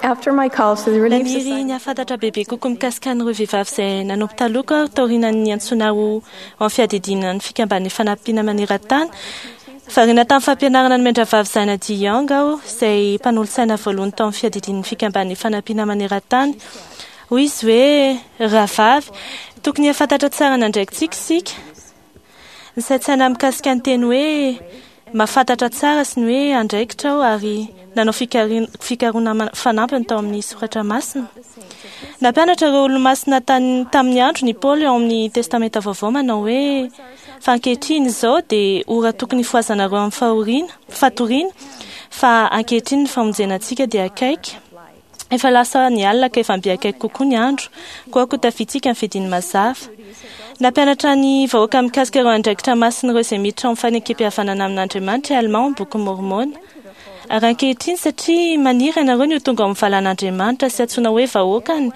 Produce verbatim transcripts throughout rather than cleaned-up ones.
After my call to the Relief Naniry Society, ny hahafantatra bebe kokoa mikasika an'ireo vehivavy izay nanompo taloha aho taorian'ny antsoina ho amin'ny fiadidiana ny fikamban'ny fanampiana maneran-tany. Variana tamin'ny fampianarana ny mendravavy Zana D. Young aho, izay mpanolotsaina voalohany tao amin'ny fiadidian'ny fikamban'ny fanampiana maneran-tany. Hoy izy hoe, rahavavy, tokony hahafantatra tsara ny andraikitsika isika. Nisaintsaina mikasika ny teny hoe mahafantatra tsara sy ny hoe andraikitra aho ary nanao fikari- fikarohana ma- fanampiny tao amin'ny soratra masina. Nampianatra ireo olo-masina tany- tamin'ny andro ny Paoly ao amin'ny Testamenta Vaovao manao hoe fa ankehitriny izao dia ora tokony hifohazanareo amin'ny fahoriana, fatoriana, fa ankehitriny ny famonjena antsika dia akaiky. Efa lasa ny alina ka efa mby akaiky kokoa ny andro, koa koa tafitsika ny fidiny mazava. Nampianatra ny vahoaka mikasika ireo andraikitra masin'ireo izay miditra ao amin'ny fanekem-pihavanana amin'Andriamanitra i Alma ao amin'ny boky Môrmôna. Ary ankehitriny satria maniry ianareo ny ho tonga ao amin'ny valan'Andriamanitra sy antsoina hoe vahoakany,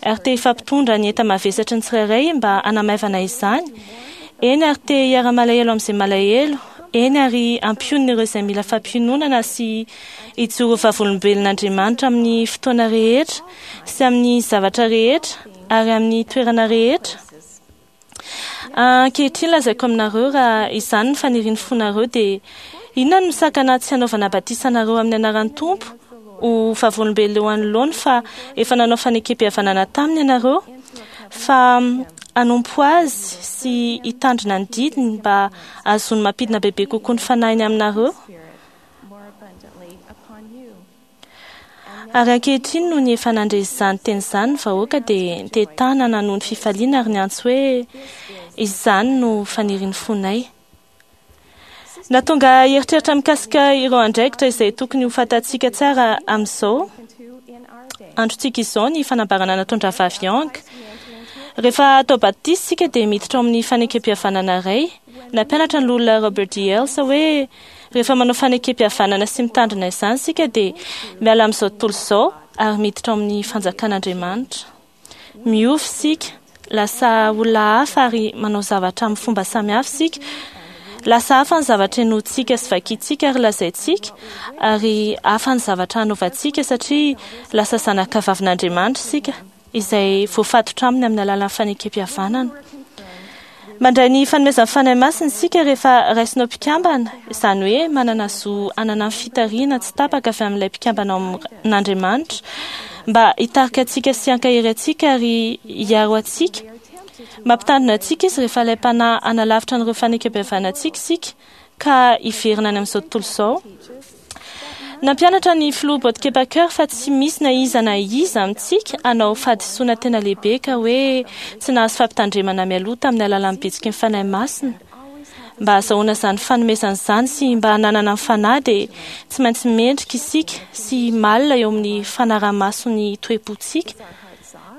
ary te hifampitondra ny enta-mavesatry ny tsirairay mba hanamaivana izany, eny ary te hiara-malahelo amin'izay malahelo, eny ary hampionona ireo izay mila fampiononana sy hijoro vavolombelon'Andriamanitra amin'ny fotoana rehetra sy amin'ny zavatra rehetra ary amin'ny toerana rehetra. Ankehitriny lazaiko aminareo raha izany ny fanirian'ny fonareo dia inona no misakana tsy hanaovana batisa anareo amin'ny anaran'ny Tompo ho vavolombelona eo anoloany fa efa nanao fanekem-pihavanana taminy ianareo fa hanompo azy sy hitandrina ny didiny mba hahazoany mampidina bebe kokoa ny fanahiny aminareo. more abundantly upon you. Ary ankehitriny noho ny efa nandre izany teny izany ny vahoaka dia nitehi-tanana noho ny fifaliana ary niantso hoe izany no fanirian'ny fonay. Nahatonga hieritreritra mikasika ireo andraikitra izay tokony ho fantatsika tsara amin'izao Into in our day. androntsika izao ny fanambarana nataon-dravavy Young. Rehefa atao batisa isika dia miditra ao amin'ny fanekem-pihavanana iray. Nampianatra ny loholona Robert D. Hales hoe rehefa manao fanekem-pihavanana sy mitandrina izany isika dia miala amin'izao tontolo izao ary miditra ao amin'ny fanjakan'Andriamanitra. Miova isika, lasa olona hafa ary manao zavatra amin'ny fomba samihafa isika. Lasa hafa ny zavatra henointsika sy vakintsika ary lazaintsika, ary hafa ny zavatra hanaovantsika satria lasa zanaka vavin'Andriamanitra isika izay voafatotra aminy amin'ny alalan'ny fanekem-pihavanana. Mandray ny fanomezan'ny Fanahy Masina isika rehefa raisinao mpikambana, izany hoe manana zo hanana ny fitarihana tsy tapaka avy amin'ilay mpikambana ao amin'Andriamanitra mba hitarika antsika sy hankahery antsika ary hiaro antsika. Mampitandrina antsika izy rehefa ilay mpanahy hanalavitra an'ireo fanekem-pihavanantsika isika ka hiverina any amin'izao tontolo izao. Nampianatra ny filoha Bob Packer fa tsy misy na iza na iza amintsika hanao fahadisoana tena lehibe ka hoe tsy nahazo fampitandremana mialoha tamin'ny alalan'ny bitsiky ny Fanahy Masina. Mba hahazoana izany fanomezana izany sy mba hananana ny fanahy dia tsy maintsy mendrika isika sy malina eo amin'ny fanaraha-maso ny toe-pontsika.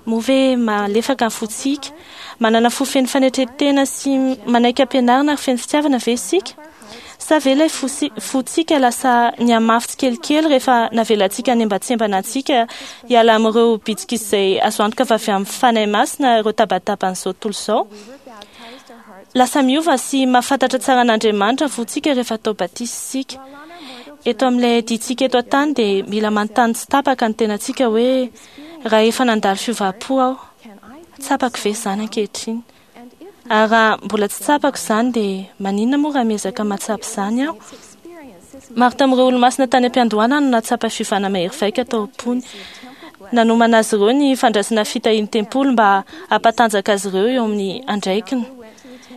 Moa ve malefaka ny fontsika, manana fo feno fanetren-tena sy manaiky ampianarina ary feno fitiavana ve isika? Sa ve ilay fosi- fontsika lasa nihamafy tsikelikely rehefa navelantsika hanembantsembana antsika hiala amin'ireo bitsika izay azo antoka fa avy amin'ny Fanahy Masina ireo tabataban'izao tontolo izao? Lasa miova sy mahafantatra tsara an'Andriamanitra ny fontsika rehefa atao batisa isika. Eto amin'ilay dintsika eto an-tany dia mila manontany tsy tapaka ny tenantsika hoe raha efa nandalo fiovam-po aho, tsapako ve izany ankehitriny? Ary raha mbola tsy tsapako izany dia maninona moa raha miezaka mahatsapa izany aho? Maro tamin'ireo olo-masina tany am-piandohana no nahatsapa fiovana mahery vaika tao am-pony. Nanomana azy ireo ny fandraisana fitahian'ny tempoly mba hampatanjaka azy ireo eo amin'ny andraikiny.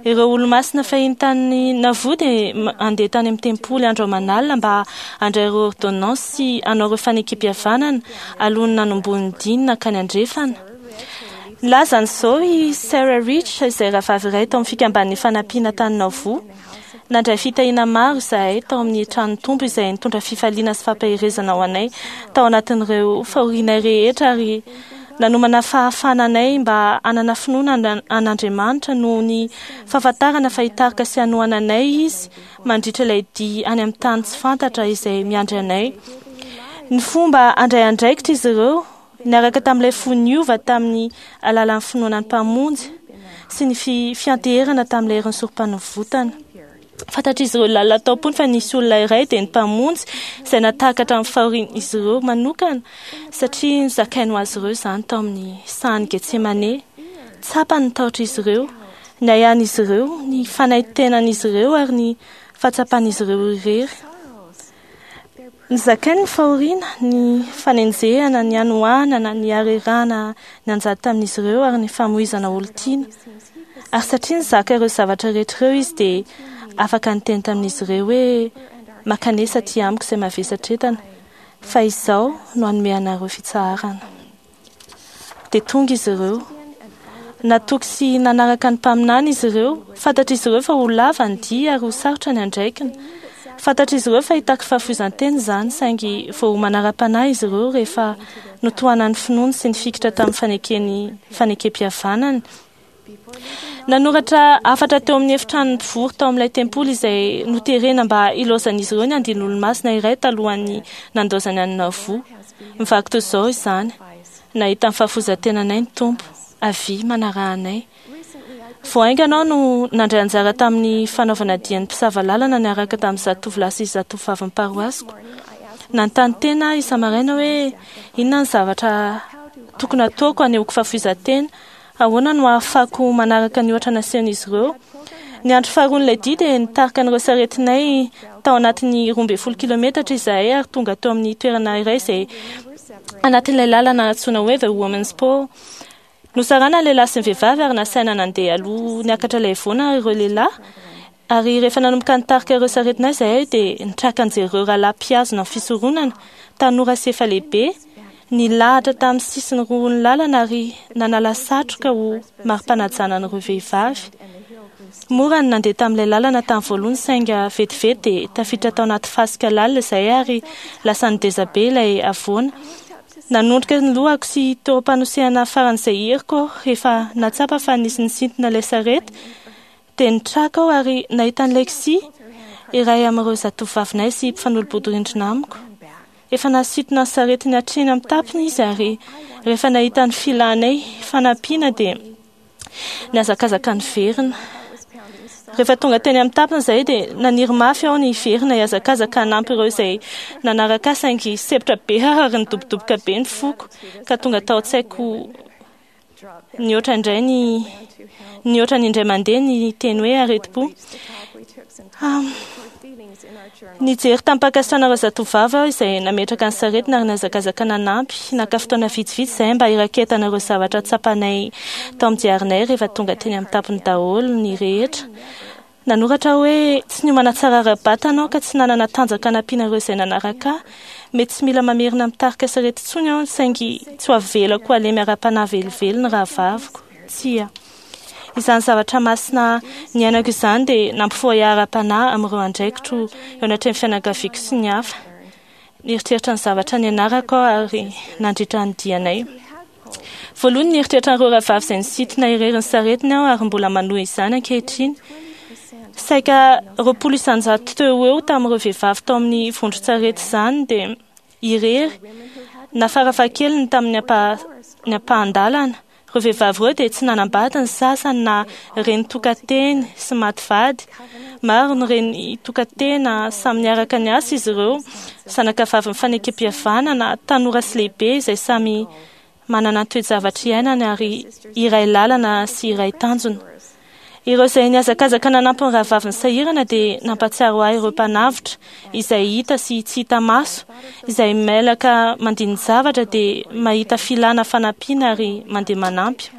Ireo olo-masina fahiny tany Nauvoo dia handeha tany amin'ny tempoly andro aman'alina mba handray ireo ordonnance sy hanao ireo fanekem-pihavanana alohan'ny nanombohan'ny diny nankany andrefana. Nilaza an'izao i Sarah Rich izay rahavavy iray tao amin'ny fikamban'ny fanampiana tany Nauvoo. Nandray fitahiana maro izahay tao amin'ny tranon'ny Tompo izay nitondra fifaliana sy fampaherezana ho anay tao anatin'ireo fahorianay rehetra ary nanomana fahafahana anay mba hanana finoana an'Andriamanitra noho ny fahafantarana fa hitarika sy hanohana anay izy mandritra ilay dia any amin'ny tany tsy fantatra izay miandry anay. Ny fomba handray andraikitra izy ireo niaraka tamin'ilay fo niova tamin'ny alalan'ny finoana ny Mpamonjy sy ny fi- fianteherana tamin'ilay herin'ny sorom-panavotana. Fantatr'izy ireo lalina tao am-pony fa nisy olona iray, dia ny Mpamonjy, izay nahatakatra ny fahorian'izy ireo manokana, satria nozakainy ho azy ireo izany tao amin'ny sahan'i Getsemane. Tsapany ny tahotr'izy ireo, ny ahiahin'izy ireo, ny fanaintainan'izy ireo ary ny fahatsapan'izy ireo irery. Nozakainy ny fahoriana, ny fanenjehana, ny hanoanana, ny harerahana nianjady tamin'izy ireo ary ny famoizana olon-tiana. Ary satria nizaka ireo zavatra rehetra ireo izy, dia afaka niteny tamin'izy ireo hoe: "Mankanesa aty amiko izay mavesatra entana, fa izao no hanome anareo fitsaharana." Dia tonga izy ireo. Natoky sy nanaraka ny mpaminany izy ireo. Fantatr'izy ireo fa ho lava ny dia ary ho sarotra ny andraikiny. Fantatr'izy ireo fa hitaky fahafoizan-tena izany, saingy voaomana ara-panahy izy ireo rehefa notohanan'ny finoany sy nifikitra tamin'ny fanekeny fanekem-pihavanany. Nanoratra hafatra teo amin'ny efitranon'ny mpivory tao amin'ilay tempoly izay noterena mba hilaozan'izy ireo ny andian'olo-masina iray talohan'ny nandaozany an'i Nauvoo. Mivaky toy izao izany: "Nahita ny fahafoizan-tenanay ny Tompo. Avia, manaraha anay." Vao haingana aho no nandray anjara tamin'ny fanaovana dian'ny mpisava lalana niaraka tamin'ny zatovolahy sy zatovovavin'ny paroasiko. Nanontany tena aho isa-maraina hoe inona ny zavatra tokony hataoko hanehoako fahafoizan-tena. Ahoana no ahafahako manaraka ny ohatra nasehon'izy ireo? Ny andro faharoan'ilay dia dia nitarika an'ireo saretinay tao anatin'ny roa ambin'ny folo kilometatra izahay ary tonga teo amin'ny toerana iray izay anatin'ilay lalana antsoina hoe The Women's Pole. Nosarana ny lehilahy sy ny vehivavy ary nasaina nandeha aloha niakatra ilay havoana ireo lehilahy. Ary rehefa nanomboka nitarika ireo saretinay izahay dia nitraka nijery ireo rahalahy mpihazona ny fisoronana, tanora sy efa lehibe, nilahatra tamin'ny sisiny roa ny lalana ary nanala satroka ho mari-panajana an'ireo vehivavy. Mora ny nandeha tamin'ilay lalana tamin'ny voalohany, saingy vetivety dia tafiditra tao anaty fasika lalina izahay ary lasa nideza be ilay havoana. Nanondrika ny lohako sy teo am-panosehana faran'izay heriko aho rehefa nahatsapa fa nisy nisintona ilay sarety. Dia nitraka aho ary nahita an'i Lexi, iray amin'ireo zatovovavinay sy mpifanolo-bodirindrina amiko. Efa nasintona ny saretiny hatreny amin'ny tampony izy ary rehefa nahita ny filanay fanampiana dia nihazakazaka niverina. Rehefa tonga teny amin'ny tampony izahay dia naniry mafy aho ny hiverina hihazakazaka hanampy ireo izay nanaraka ahy, saingy sempotra be aho ary nidobodoboka be ny foko ka tonga tao an-tsaiko nihoatra indray ny nihoatra ny indray mandeha ny teny hoe aretim-po. Nijery tamim-pankasitrahana ireo zatovovavy aho izay nametraka ny saretina ary nihazakazaka nanampy. Naka fotoana vitsivitsy izahay mba hiraketana ireo zavatra tsapanay tao amin'ny diarinay rehefa tonga teny amin'ny tampony daholo ny rehetra. Nanoratra aho hoe: "Tsy niomana tsara ara-batana aho ka tsy nanana tanjaka hanampiana ireo izay nanaraka ahy. Mety tsy mila mamerina mitarika sarety intsony aho, saingy tsy ho avelako halemy ara-panahy velively ny rahavaviko. Tsia. Izany zavatra masina niainako izany dia nampifoha ahy ara-panahy amin'ireo andraikitro eo anatrehan'ny fianakaviako sy ny hafa. Nieritreritra ny zavatra nianarako aho ary nandritra ny dianay. Voalohany nieritreritra an'ireo rahavavy izay nisintona irery ny saretiny aho ary mbola manohy izany ankehitriny. Saika roapolo isanjato teo ho eo tamin'ireo vehivavy tao amin'ny vondron-tsarety izany dia irery na farafahakeliny tamin'ny ampa- ny ampahan-dalana. Ireo vehivavy ireo dia tsy nanambady ny sasany na reny tokan-teny sy maty vady. Maro ny reny tokan-tena, samy niaraka niasa izy ireo, zanakavavin'ny fanekem-pihavanana, tanora sy lehibe izay samy manana ny toe-javatra iainany ary iray lalana sy iray tanjona. Ireo izay nihazakazaka nanampy ny rahavaviny sahirana dia nampahatsiaro ahy ireo mpanavotra izay hita sy tsy hita maso, izay mailaka mandini-javatra dia mahita filana fanampiana ary mandeha manampy.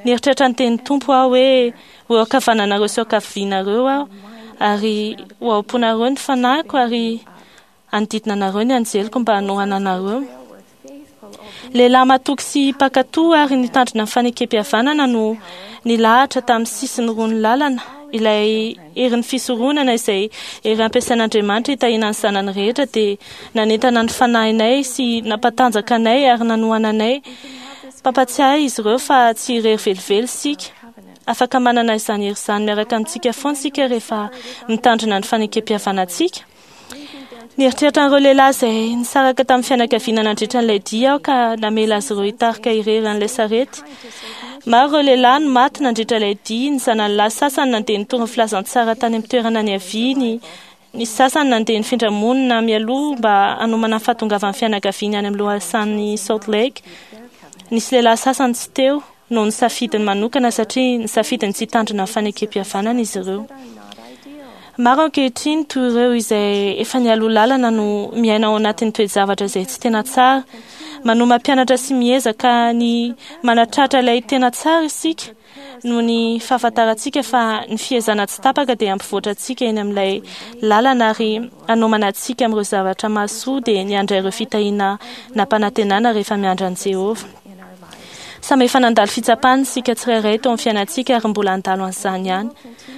Nieritreritra ny tenin'ny Tompo aho hoe: "Ho eo ankavananareo sy eo ankavianareo aho, ary ho ao am-ponareo ny fanahiko ary hanodidina anareo ny anjeliko mba hanohana anareo." Lehilahy matoky sy mpankatò ary nitandrina ny fanekem-pihavanana no nilahatra tamin'ny sisiny roa ny lalana, ilay herin'ny fisoronana izay hery ampiasain'Andriamanitra hitahiana ny zanany rehetra dia nanentana ny fanahinay sy nampatanjaka anay ary nanohana anay. Mpampatsiahy izy ireo fa tsy irery velively isika. Afaka manana izany hery izany miaraka amintsika foana isika rehefa mitandrina ny fanekem-pihavanantsika. Nieritreritra an'ireo lehilahy izay nisaraka tamin'ny fianakaviana nandritra an'ilay dia aho ka namela azy ireo hitarika irery an'ilay sarety. Maro ireo lehilahy no maty nandritra ilay dia. Ny zanany lahy sasany nandeha nitory ny filazantsara tany amin'ny toerana niaviany, ny sasany nandeha nifindra monina mialoha mba hanomana ny fahatongavan'ny fianakaviany any amin'ny lohasahan'ny Salt Lake. Nisy lehilahy sasany tsy teo noho ny safidiny manokana satria nisafidiny tsy hitandrina ny fanekempihavanana izy ireo. Maro ankehitriny toy ireo izay efa nialoha lalana no miaina ao anatin'ny toe-javatra izay tsy tena tsara. Manohy mampianatra sy miezaka ny manatratra ilay tena tsara isika noho ny fahafantarantsika fa ny fiezahana tsy tapaka dia hampivoatra antsika eny amin'ilay lalana ary hanomana antsika amin'ireo zavatra mahasoa dia ny handray ireo fitahiana nampanantenana rehefa miandry an'i Jehovah. Samy efa nandalo fitsapana isika tsirairay teo amin'ny fiainantsika ary mbola handalo an'izany ihany.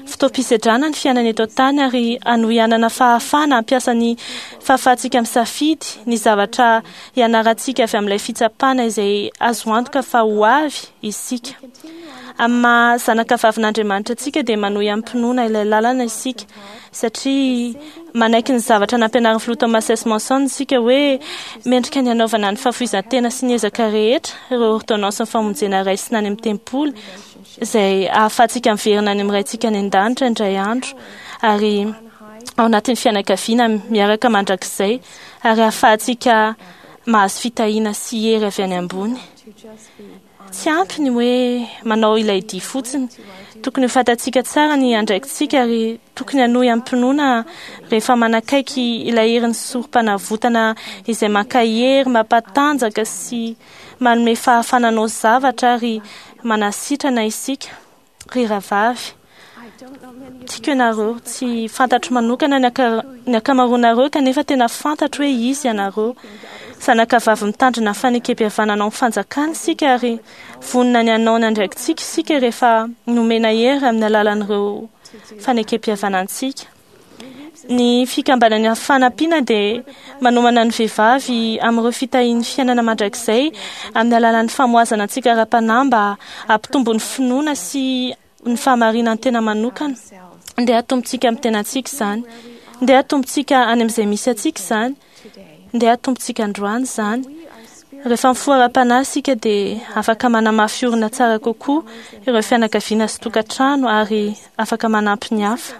Fotoam-pisedrana ny fiainana eto an-tany ary hanohy hanana fahafahana hampiasa ny fahafahantsika misafidy ny zavatra hianarantsika avy amin'ilay fitsapana izay azo antoka fa ho avy isika. Amin'ny maha zanaka vavin'Andriamanitra antsika dia manohy amim-pinoana ilay lalana isika satria manaiky ny zavatra nampianarin'ny filoha Thomas S. Monson isika hoe mendrika ny hanaovana ny fahafoizan-tena sy ny ezaka rehetra ireo ordonnance ny famonjena raisina any amin'ny tempoly izay ahafahantsika miverina any amin'ny Raintsika any an-danitra indray andro ary ao anatin'ny fianakaviana miaraka mandrakizay ary ahafahantsika mahazo fitahiana sy hery avy any ambony. Tsy ampy ny hoe manao ilay dia fotsiny. Tokony ho fantatsika tsara ny andraikitsika ary tokony hanohy amim-pinoana rehefa manakaiky ilay herin'ny sorom-panavotana izay mankahery, mampatanjaka sy manome fahafahana hanao zavatra ary manasitrana isika. Ry rahavavy, tiako ianareo, tsy fantatro manokana ny aka- ny ankamaroanareo kanefa tena fantatro hoe izy ianareo. Zanaka vavy mitandrina ny fanekempihavanana ao amin'ny fanjakana isika ary vonona ny hanao ny andraikitsika isika rehefa nomena hery amin'ny alalan'ireo fanekempihavanantsika. Ny fikambanana fanampiana dia manomana ny vehivavy amin'ireo fitahian'ny fiainana mandrakizay amin'ny alalan'ny famohazana antsika ara-panahy mba hampitombo ny finoana sy ny fahamarinan'ny tena manokana. Ndeha hatombontsika amin'ny tenantsika izany. Ndeha hatombontsika any amin'izay misy antsika izany. Ndeha hatombontsika androany izany. Rehefa mifoha ara-panahy isika dia afaka manamafy orina tsara kokoa ireo fianakaviana sy tokantrano ary afaka manampy ny hafa.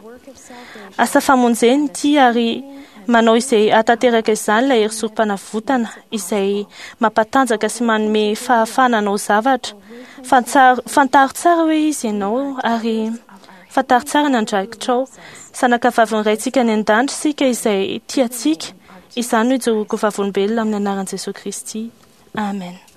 Asa famonjena ity ary manao izay hahatanteraka izany ilay hery sorom-panavotana izay mampatanjaka sy manome fahafahana hanao zavatra. Fantsaro, fantaro tsara hoe izy ianao ary fantaro tsara ny andraikitrao. Zanaka vavin'ny Raintsika any an-danitra isika izay tia antsika. Izany no ijoroako vavolombelona amin'ny anaran'i Jesosy Kristy. Amen.